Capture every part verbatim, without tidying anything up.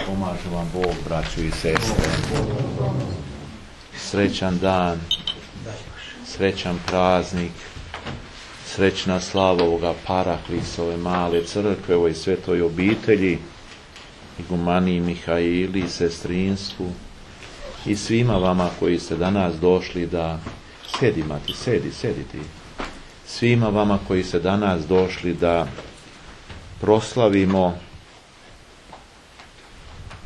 Pomaže vam Bog, braćo i sestre. Srećan dan, srećan praznik, srećna slava ovoga Paraklisa, ove male crkve, ovoj svetoj obitelji, igumaniji Mihaili, sestrinstvu i svima vama koji ste danas došli da... Sjedi, mati, sedi, sedi ti. Svima vama koji ste danas došli da proslavimo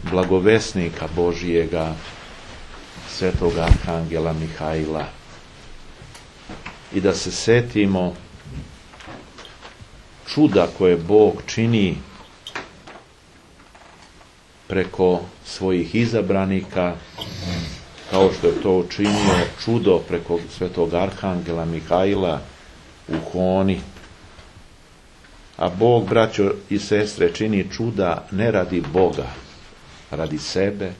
blagovesnika Božijega, svetog Arhangela Mihaila, i da se setimo čuda koje Bog čini preko svojih izabranika, kao što je to učinio čudo preko svetog Arhangela Mihaila u Honi. A Bog, braćo i sestre, čini čuda ne radi Boga, radi sebe,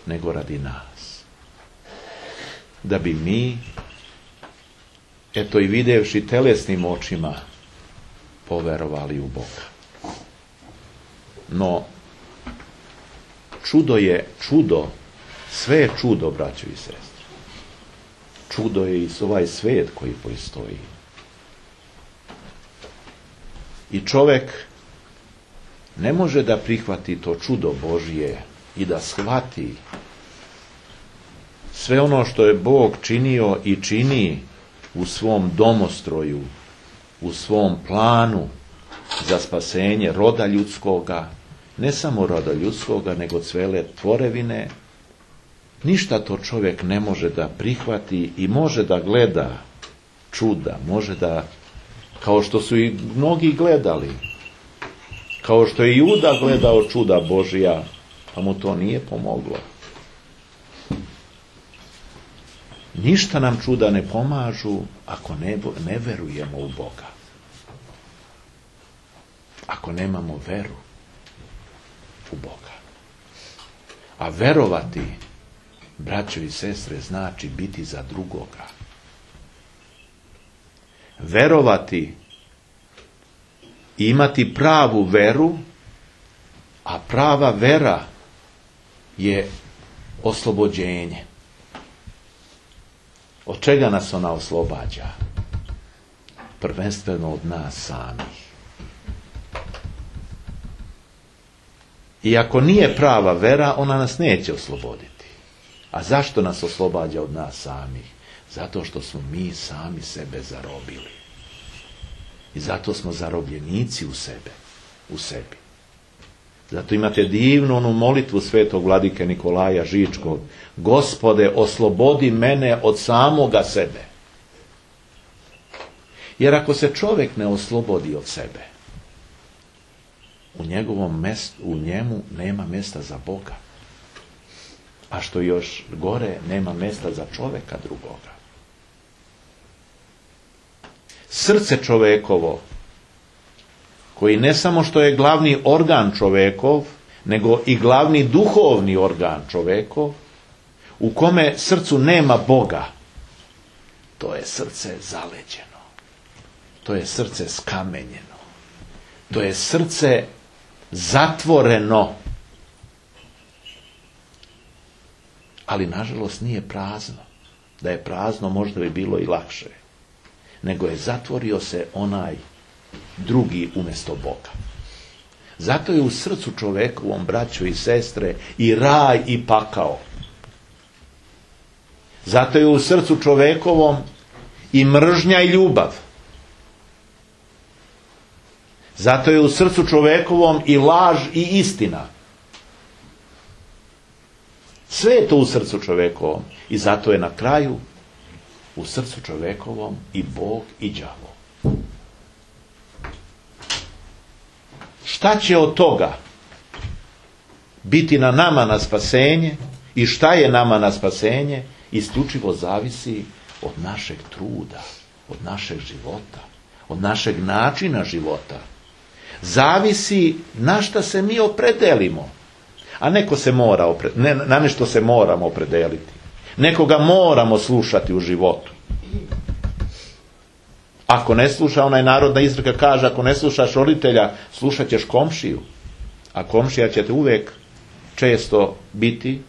nego radi nas. Da bi mi, eto i videvši telesnim očima, poverovali u Boga. No, čudo je čudo, sve je čudo, braćo i sestre. Čudo je i ovaj svijet koji postoji. I čovjek ne može da prihvati to čudo Božije i da shvati sve ono što je Bog činio i čini u svom domostroju, u svom planu za spasenje roda ljudskoga, ne samo roda ljudskoga, nego cele tvorevine. Ništa to čovjek ne može da prihvati i može da gleda čuda, može da, kao što su i mnogi gledali, kao što je Juda gledao čuda Božija, pa mu to nije pomoglo. Ništa nam čuda ne pomažu ako ne, ne verujemo u Boga. Ako nemamo veru u Boga. A verovati, braćo i sestre, znači biti za drugoga. Verovati, imati pravu veru, a prava vera je oslobođenje. Od čega nas ona oslobađa? Prvenstveno od nas samih. I ako nije prava vera, ona nas neće osloboditi. A zašto nas oslobađa od nas samih? Zato što smo mi sami sebe zarobili. I zato smo zarobljenici u sebe, u sebi. Zato imate divnu onu molitvu svetog vladike Nikolaja Žičkog. Gospode, oslobodi mene od samoga sebe. Jer ako se čovjek ne oslobodi od sebe, u njegovom mjestu, u njemu nema mjesta za Boga. A što još gore, nema mjesta za čovjeka drugoga. Srce čovekovo, koji ne samo što je glavni organ čovekov, nego i glavni duhovni organ čovekov, u kome srcu nema Boga, to je srce zaleđeno. To je srce skamenjeno. To je srce zatvoreno. Ali nažalost nije prazno. Da je prazno možda bi bilo i lakše. Nego je zatvorio se onaj drugi umjesto Boga. Zato je u srcu čovekovom, braćo i sestre, i raj i pakao. Zato je u srcu čovekovom i mržnja i ljubav. Zato je u srcu čovekovom i laž i istina. Sve je to u srcu čovekovom. I zato je na kraju u srcu čovekovom i Bog i đavo. Šta će od toga biti na nama na spasenje i šta je nama na spasenje, isključivo zavisi od našeg truda, od našeg života, od našeg načina života. Zavisi na šta se mi opredelimo. A neko se mora opre, ne, na nešto se moramo opredeliti. Nekoga moramo slušati u životu. Ako ne sluša, onaj narodna izreka kaže, ako ne slušaš roditelja, slušat ćeš komšiju. A komšija će te uvijek često biti,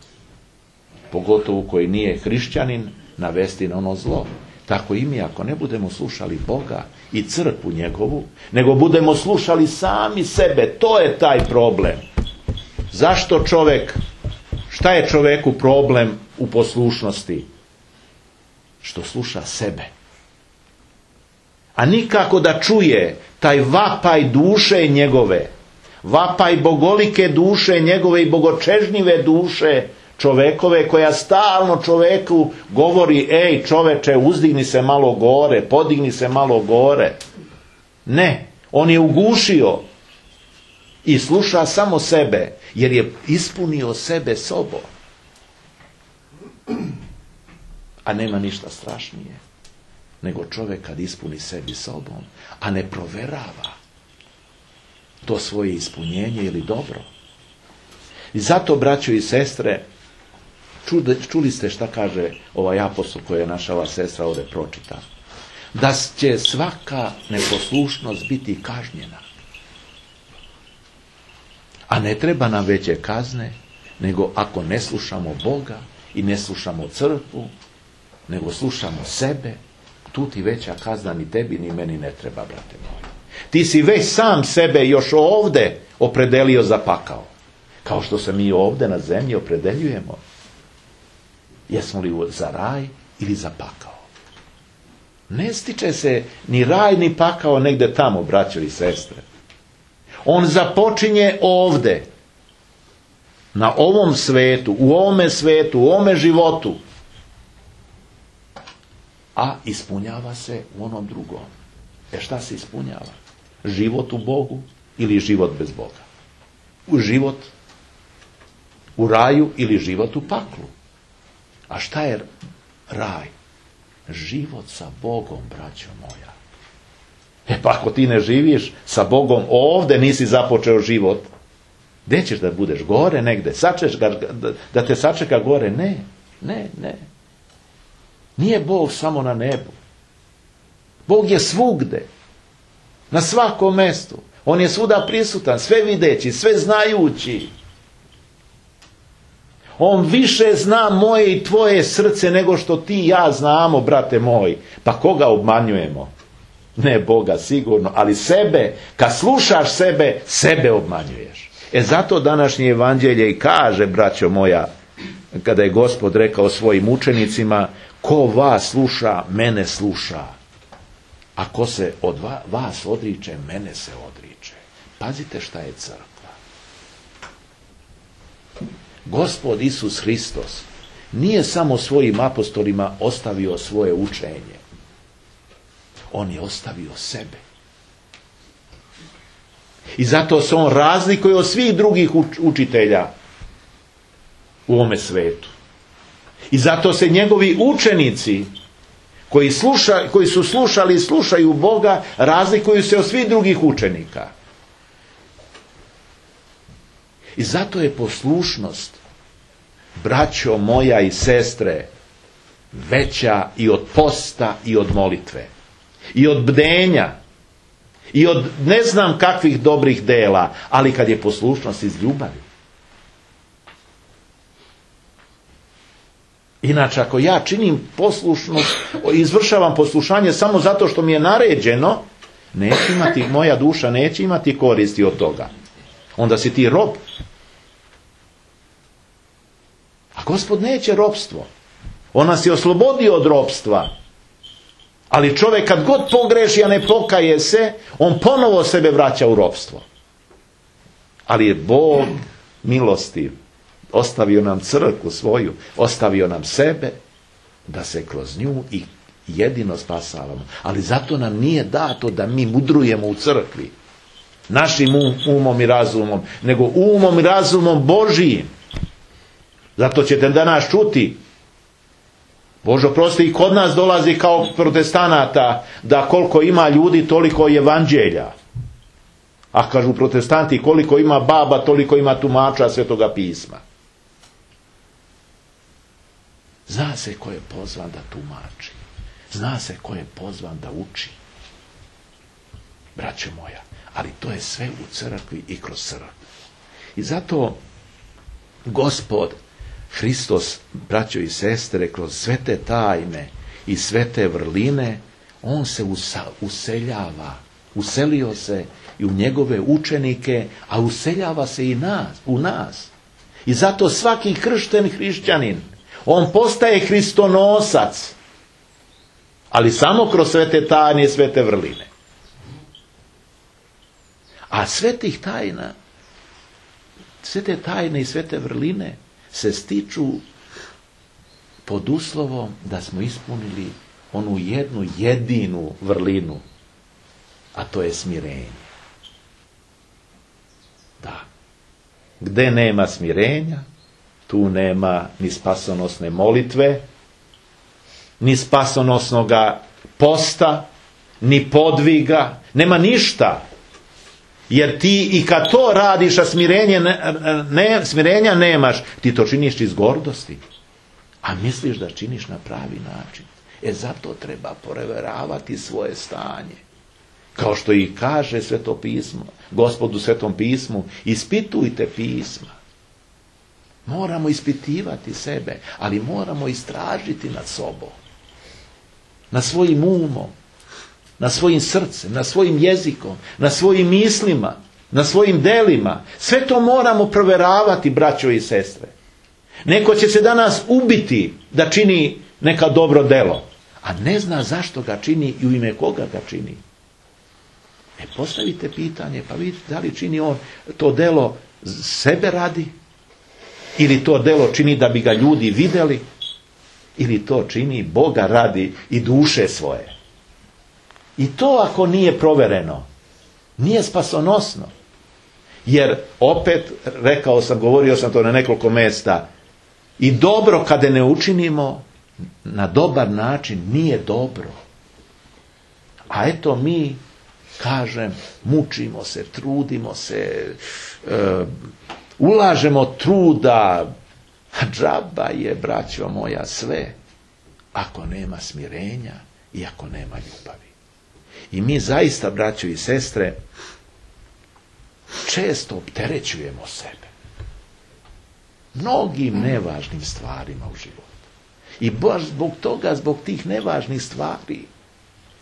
pogotovo koji nije hrišćanin, navesti na ono zlo. Tako i mi, ako ne budemo slušali Boga i crkvu njegovu, nego budemo slušali sami sebe, to je taj problem. Zašto čovjek, šta je čovjeku problem u poslušnosti? Što sluša sebe. A nikako da čuje taj vapaj duše njegove, vapaj bogolike duše njegove i bogočežnjive duše čovekove, koja stalno čoveku govori: ej čoveče, uzdigni se malo gore, podigni se malo gore. Ne, on je ugušio i sluša samo sebe, jer je ispunio sebe sobom. A nema ništa strašnije nego čovjek kad ispuni sebi sobom, a ne proverava to svoje ispunjenje ili dobro. I zato, braćo i sestre, čuli, čuli ste šta kaže ovaj apostol koji je naša ova sestra ovdje pročita. Da će svaka neposlušnost biti kažnjena. A ne treba nam veće kazne, nego ako ne slušamo Boga i ne slušamo crkvu, nego slušamo sebe, tu ti veća kazna ni tebi ni meni ne treba, brate moji. Ti si već sam sebe još ovdje opredelio za pakao. Kao što se mi ovdje na zemlji opredeljujemo. Jesmo li za raj ili za pakao? Ne stiče se ni raj ni pakao negdje tamo, braćo i sestre. On započinje ovdje. Na ovom svetu, u ovome svetu, u ovome životu. A ispunjava se u onom drugom. E šta se ispunjava? Život u Bogu ili život bez Boga? U život u raju ili život u paklu? A šta je raj? Život sa Bogom, braćo moja. E pa ako ti ne živiš sa Bogom ovdje, nisi započeo život, gdje ćeš da budeš? Gore negdje? Sačeš ga, da, da te sačeka gore? Ne, ne, ne. Nije Bog samo na nebu. Bog je svugde. Na svakom mjestu. On je svuda prisutan, sve videći, sve znajući. On više zna moje i tvoje srce nego što ti i ja znamo, brate moj. Pa koga obmanjujemo? Ne Boga sigurno, ali sebe. Kad slušaš sebe, sebe obmanjuješ. E zato današnje evanđelje i kaže, braćo moja, kada je Gospod rekao svojim učenicima: ko vas sluša, mene sluša. A ko se od vas odriče, mene se odriče. Pazite šta je crkva. Gospod Isus Hristos nije samo svojim apostolima ostavio svoje učenje. On je ostavio sebe. I zato se on razlikuje od svih drugih učitelja u ovome svetu. I zato se njegovi učenici koji, sluša, koji su slušali i slušaju Boga razlikuju se od svih drugih učenika. I zato je poslušnost, braćo moja i sestre, veća i od posta i od molitve. I od bdenja. I od ne znam kakvih dobrih dela, ali kad je poslušnost iz ljubavi. Inače, ako ja činim poslušnost, izvršavam poslušanje samo zato što mi je naređeno, neće imati, moja duša neće imati koristi od toga. Onda si ti rob. A Gospod neće ropstvo. On nas je oslobodio od ropstva. Ali čovjek kad god pogreši, a ne pokaje se, on ponovo sebe vraća u ropstvo. Ali je Bog milostiv. Ostavio nam crkvu svoju, ostavio nam sebe, da se kroz nju i jedino spasavamo. Ali zato nam nije dato da mi mudrujemo u crkvi. Našim um, umom i razumom, nego umom i razumom Božijim. Zato ćete danas čuti, Bože prosti, i kod nas dolazi kao protestanata, da koliko ima ljudi, toliko je evanđelja. A kažu protestanti, koliko ima baba, toliko ima tumača Svetoga pisma. Zna se ko je pozvan da tumači. Zna se ko je pozvan da uči. Braćo moja, ali to je sve u crkvi i kroz crkvu. I zato Gospod Hristos, braćo i sestre, kroz sve te tajne i sve te vrline, on se useljava, uselio se i u njegove učenike, a useljava se i nas, u nas. I zato svaki kršten hrišćanin, on postaje hristonosac, ali samo kroz sve te tajne i sve te vrline. A sve tih tajna, sve te tajne i sve te vrline se stiču pod uslovom da smo ispunili onu jednu jedinu vrlinu, a to je smirenje. Da. Gde nema smirenja, tu nema ni spasonosne molitve, ni spasonosnoga posta, ni podviga, nema ništa. Jer ti i kad to radiš, a smirenje ne, ne, smirenja nemaš, ti to činiš iz gordosti. A misliš da činiš na pravi način. E zato treba provjeravati svoje stanje. Kao što i kaže Sveto pismo, Gospodu Svetom pismu, ispitujte pisma. Moramo ispitivati sebe, ali moramo istražiti nad sobom. Na svojim umom, na svojim srcem, na svojim jezikom, na svojim mislima, na svojim delima. Sve to moramo provjeravati, braćo i sestre. Neko će se danas ubiti da čini neka dobro delo, a ne zna zašto ga čini i u ime koga ga čini. E, postavite pitanje, pa vidite da li čini on to delo sebe radi, ili to delo čini da bi ga ljudi vidjeli, ili to čini Boga radi i duše svoje. I to ako nije provjereno, nije spasonosno. Jer opet, rekao sam, govorio sam to na nekoliko mjesta, i dobro kada ne učinimo na dobar način nije dobro. A eto mi, kažem, mučimo se, trudimo se, e, ulažemo truda, a džaba je, braćo moja, sve, ako nema smirenja i ako nema ljubavi. I mi zaista, braćo i sestre, često opterećujemo sebe mnogim nevažnim stvarima u životu. I baš zbog toga, zbog tih nevažnih stvari,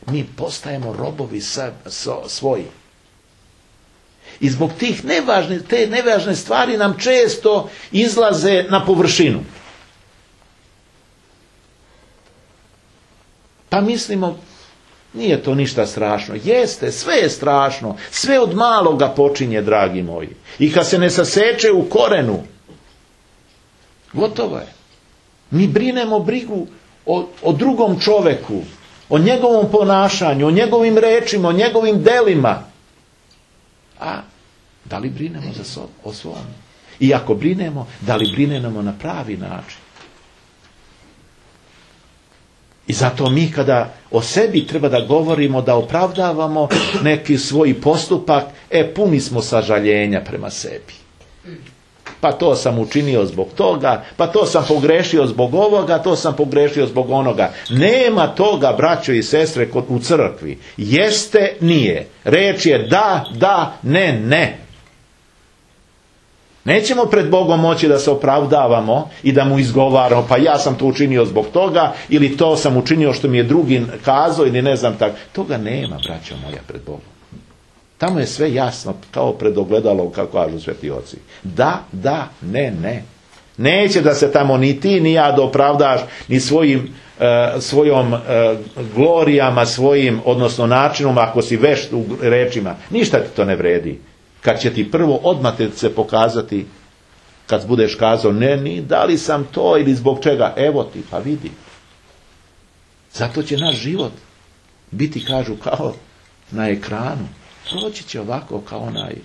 mi postajemo robovi svoji. I zbog tih nevažnih, te nevažne stvari nam često izlaze na površinu. Pa mislimo, nije to ništa strašno. Jeste, sve je strašno. Sve od maloga počinje, dragi moji. I kad se ne saseče u korenu, gotovo je. Mi brinemo brigu o, o drugom čoveku, o njegovom ponašanju, o njegovim rečima, o njegovim delima. A da li brinemo za so, o svom? I ako brinemo, da li brinemo na pravi način? I zato mi kada o sebi treba da govorimo, da opravdavamo neki svoj postupak, e, puni smo sažaljenja prema sebi. Pa to sam učinio zbog toga, pa to sam pogrešio zbog ovoga, to sam pogrešio zbog onoga. Nema toga, braćo i sestre, kod u crkvi. Jeste, nije. Reč je da, da, ne, ne. Nećemo pred Bogom moći da se opravdavamo i da mu izgovaramo, pa ja sam to učinio zbog toga, ili to sam učinio što mi je drugi kazao, ili ne znam tako. Toga nema, braćo moja, pred Bogom. Tamo je sve jasno, kao pred ogledalom, kako kažu sveti oci. Da, da, ne, ne. Neće da se tamo ni ti, ni ja da opravdaš, ni svojim, e, svojom e, glorijama, svojim, odnosno načinom, ako si vešt u rečima. Ništa ti to ne vredi. Kad će ti prvo odmah se pokazati, kad budeš kazao, ne, ni, da li sam to ili zbog čega, evo ti, pa vidi. Zato će naš život biti, kažu, kao na ekranu. Proći će ovako kao onaj,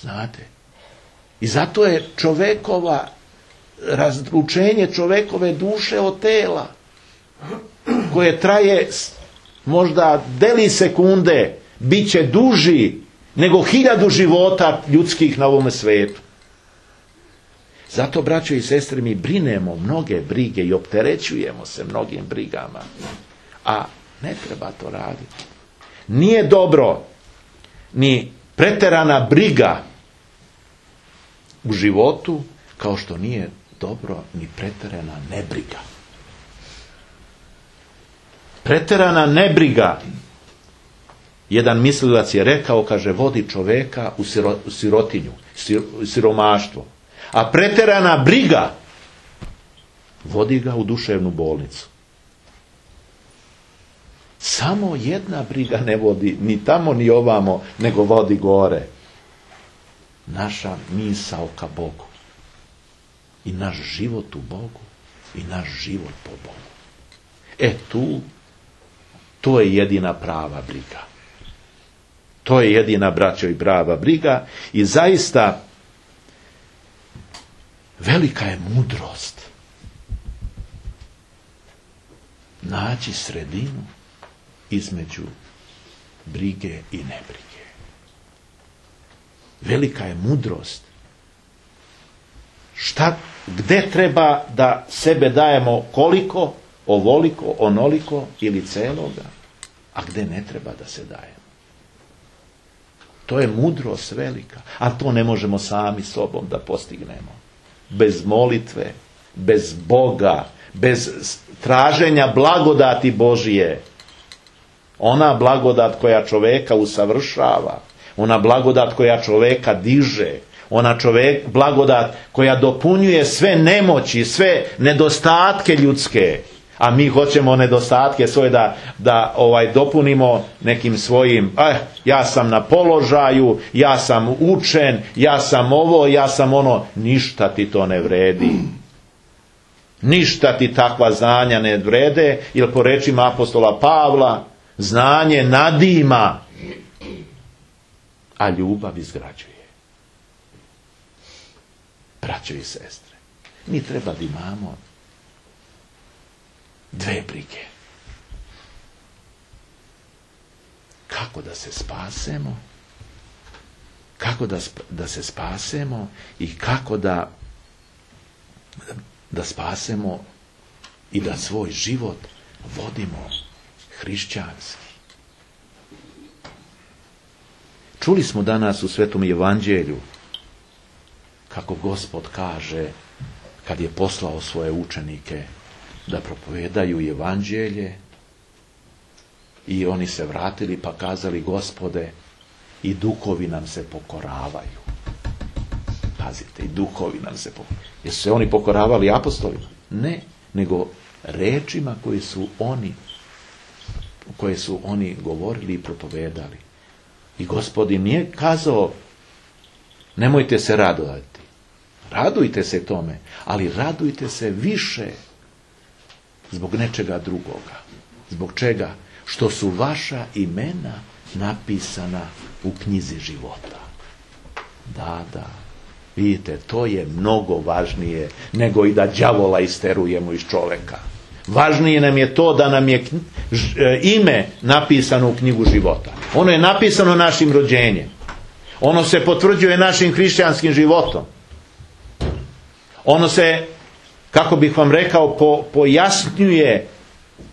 znate. I zato je čovekova, razlučenje čovekove duše od tela, koje traje možda deli sekunde, bit će duži nego hiljadu života ljudskih na ovome svijetu. Zato, braćo i sestre, mi brinemo mnoge brige i opterećujemo se mnogim brigama. A ne treba to raditi. Nije dobro ni preterana briga u životu, kao što nije dobro ni preterana nebriga. Preterana nebriga, jedan mislilac je rekao, kaže, vodi čoveka u, siro, u sirotinju, sir, siromaštvo. A preterana briga vodi ga u duševnu bolnicu. Samo jedna briga ne vodi ni tamo ni ovamo, nego vodi gore. Naša misao ka Bogu. I naš život u Bogu. I naš život po Bogu. E tu, to je jedina prava briga. To je jedina, braćo i prava briga. I zaista, velika je mudrost naći sredinu između brige i nebrige. Velika je mudrost. Šta, gde treba da sebe dajemo koliko, ovoliko, onoliko ili celoga, a gde ne treba da se dajemo. To je mudrost velika, a to ne možemo sami sobom da postignemo. Bez molitve, bez Boga, bez traženja blagodati Božije. Ona blagodat koja čoveka usavršava, ona blagodat koja čoveka diže, ona čovek, blagodat koja dopunjuje sve nemoći, sve nedostatke ljudske, a mi hoćemo nedostatke svoje da, da ovaj, dopunimo nekim svojim, eh, ja sam na položaju, ja sam učen, ja sam ovo, ja sam ono, ništa ti to ne vredi. Ništa ti takva znanja ne vrede, jer po rečima apostola Pavla, znanje nadima, a ljubav izgrađuje. Braćo i sestre, mi treba da imamo dve brige. Kako da se spasemo, kako da, da se spasemo i kako da, da spasemo i da svoj život vodimo hrišćanski. Čuli smo danas u Svetom Evanđelju kako Gospod kaže kad je poslao svoje učenike da propovedaju Evanđelje i oni se vratili pa kazali, Gospode, i duhovi nam se pokoravaju. Pazite, i duhovi nam se pokoravaju. Jesu se oni pokoravali apostolima? Ne, nego rečima koje su oni koje su oni govorili i propovedali. I Gospod im nije kazao, nemojte se radovati. Radujte se tome, ali radujte se više zbog nečega drugoga. Zbog čega? Što su vaša imena napisana u knjizi života. Da, da. Vidite, to je mnogo važnije nego i da đavola isterujemo iz čoveka. Važnije nam je to da nam je ime napisano u knjigu života. Ono je napisano našim rođenjem. Ono se potvrđuje našim hrišćanskim životom. Ono se, kako bih vam rekao, po, pojasnjuje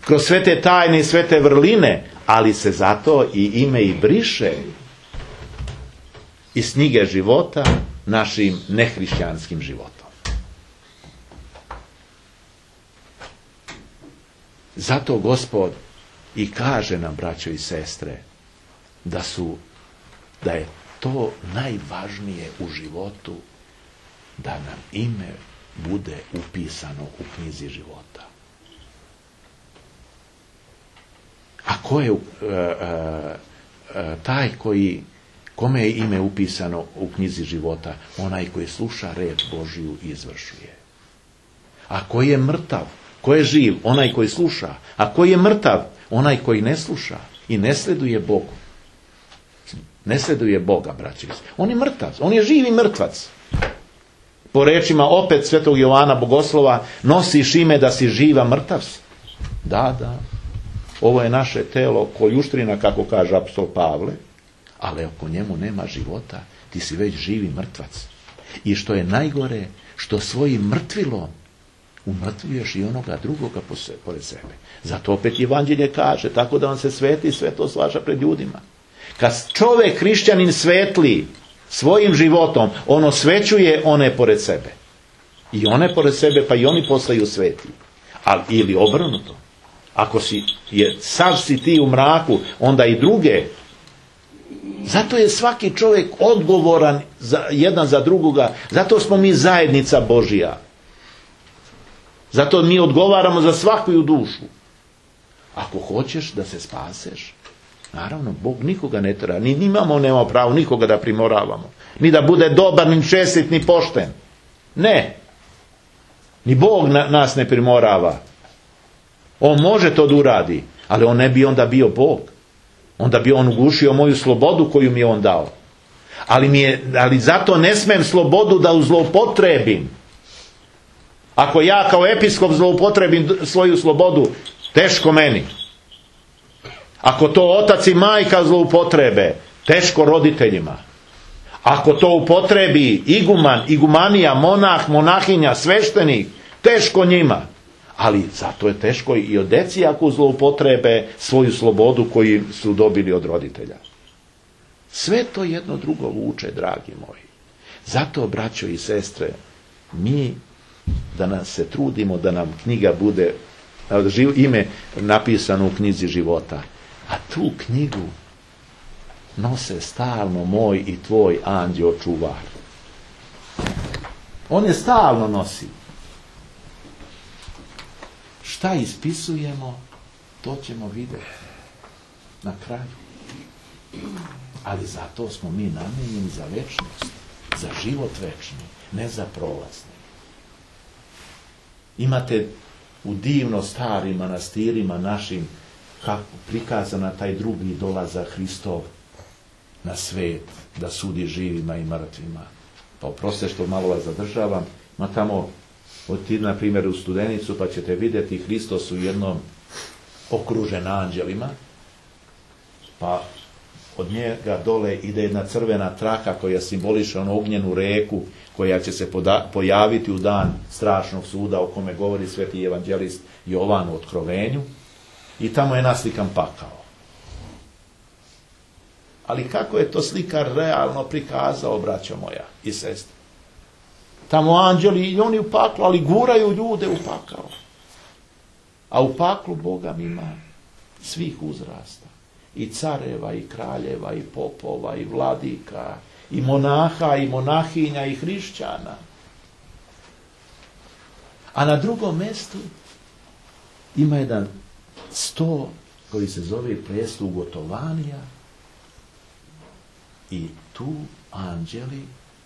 kroz sve te tajne i sve te vrline, ali se zato i ime i briše iz knjige života našim nehrišćanskim životom. Zato Gospod i kaže nam, braćo i sestre, da su, da je to najvažnije u životu, da nam ime bude upisano u knjizi života. A ko je uh, uh, uh, taj koji, kome je ime upisano u knjizi života? Onaj koji sluša reč Božiju i izvršuje. A ko je mrtav? Ko je živ? Onaj koji sluša. A ko je mrtav? Onaj koji ne sluša i ne sleduje Bogu. Ne sleduje Boga, braći. On je mrtav. On je živi mrtvac. Po rečima opet svetog Jovana Bogoslova, nosiš ime da si živa mrtav. Da, da. Ovo je naše telo koljuštrina, kako kaže apostol Pavle, ali ako njemu nema života, ti si već živi mrtvac. I što je najgore, što svojim mrtvilom umrtvuješ i onoga drugoga pored sebe. Zato opet Evanđelje kaže, tako da on se sveti, sve to slaža pred ljudima. Kad čovjek hrišćanin svetli, svojim životom on osvećuje one pored sebe. I one pored sebe, pa i oni postaju sveti. Ali, ili obrnuto. Ako si, je, sav si ti u mraku, onda i druge. Zato je svaki čovjek odgovoran za, jedan za drugoga. Zato smo mi zajednica Božja. Zato mi odgovaramo za svakoju dušu. Ako hoćeš da se spaseš, naravno, Bog nikoga ne tera. Ni imamo, nema pravo nikoga da primoravamo. Ni da bude dobar, ni čestit, ni pošten. Ne. Ni Bog na, nas ne primorava. On može to da uradi, ali on ne bi onda bio Bog. Onda bi on ugušio moju slobodu koju mi je on dao. Ali, mi je, ali zato ne smem slobodu da zloupotrebim. Ako ja kao episkop zloupotrebim svoju slobodu, teško meni. Ako to otac i majka zloupotrebe, teško roditeljima. Ako to upotrebi iguman, igumanija, monah, monahinja, sveštenik, teško njima. Ali zato je teško i od deci ako zloupotrebe svoju slobodu koju su dobili od roditelja. Sve to jedno drugo vuče, dragi moji. Zato, braćo i sestre, mi da nas se trudimo da nam knjiga bude, ime napisano u knjizi života. A tu knjigu nose stalno moj i tvoj anđeo čuvar. On je stalno nosi. Šta ispisujemo, to ćemo vidjeti na kraju. Ali zato smo mi namenjeni za večnost, za život večni, ne za prolazni. Imate u divno starim manastirima našim kako prikazana taj drugi dolazak Hristov na svet, da sudi živima i mrtvima. Pa oproste što malo vas zadržavam, ma tamo odite na primjer u Studenicu pa ćete vidjeti Hristos u jednom okružen anđelima, pa od njega dole ide jedna crvena traka koja simboliše onu ognjenu reku koja će se poda- pojaviti u dan strašnog suda o kome govori sveti evanđelist Jovan u Otkrovenju, i tamo je naslikan pakao. Ali kako je to slikar realno prikazao, braćo moja i sestre? Tamo anđeli i oni u paklu, ali guraju ljude u pakao. A u paklu Boga ima svih uzrasta. I careva, i kraljeva, i popova, i vladika, i monaha, i monahinja, i hrišćana. A na drugom mjestu ima jedan sto koji se zove presto ugotovanija, i tu anđeli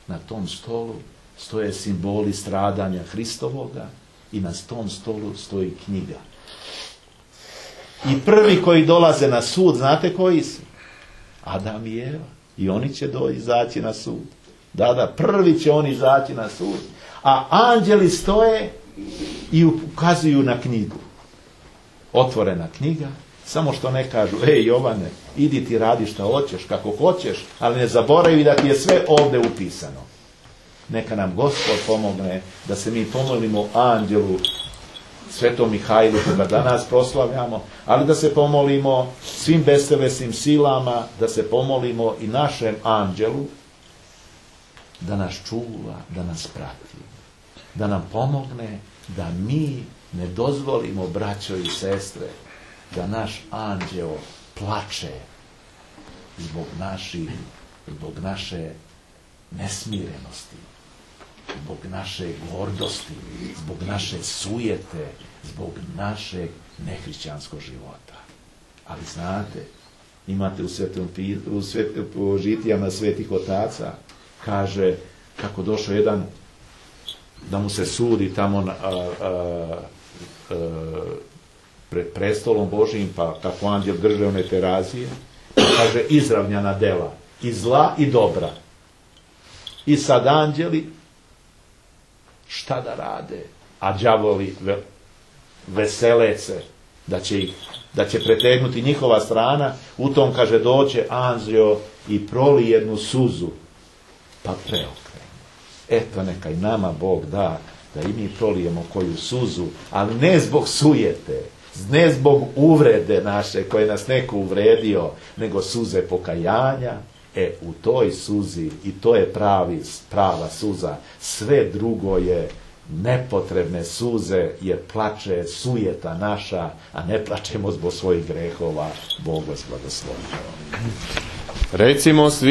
na tom stolu stoje simboli stradanja Hristovoga i na tom stolu stoji knjiga. I prvi koji dolaze na sud, znate koji su? Adam i Eva. I oni će do izaći na sud. Da, da, prvi će oni izaći na sud. A anđeli stoje i ukazuju na knjigu. Otvorena knjiga, samo što ne kažu, ej Jovane, idi ti radi šta hoćeš, kako hoćeš, ali ne zaboravi da ti je sve ovdje upisano. Neka nam Gospod pomogne da se mi pomolimo anđelu Svetom Mihajlu koga danas proslavljamo, ali da se pomolimo svim bestelesnim silama, da se pomolimo i našem anđelu da nas čuva, da nas prati, da nam pomogne da mi ne dozvolimo, braćo i sestre, da naš anđeo plače zbog naših, zbog naše nesmirenosti, zbog naše gordosti, zbog naše sujete, zbog našeg nehrišćanskog života. Ali znate, imate u, svetom, u, svet, u žitijama svetih otaca, kaže kako došao jedan da mu se sudi tamo na, a, a, a, pred prestolom Božijim, pa kako anđel drže one terazije, pa kaže izravnjana dela, i zla i dobra. I sad anđeli šta da rade? A đavoli ve, vesele se da će, ih, da će pretegnuti njihova strana. U tom, kaže, doće anđeo i proli jednu suzu, pa preokrene. Eto, neka i nama Bog da, da i mi prolijemo koju suzu, ali ne zbog sujete, ne zbog uvrede naše koje nas neko uvredio, nego suze pokajanja E, u toj suzi, i to je pravi, prava suza, sve drugo je nepotrebne suze, jer plače sujeta naša, a ne plačemo zbog svojih grehova. Bog vas blagoslovi. Recimo svi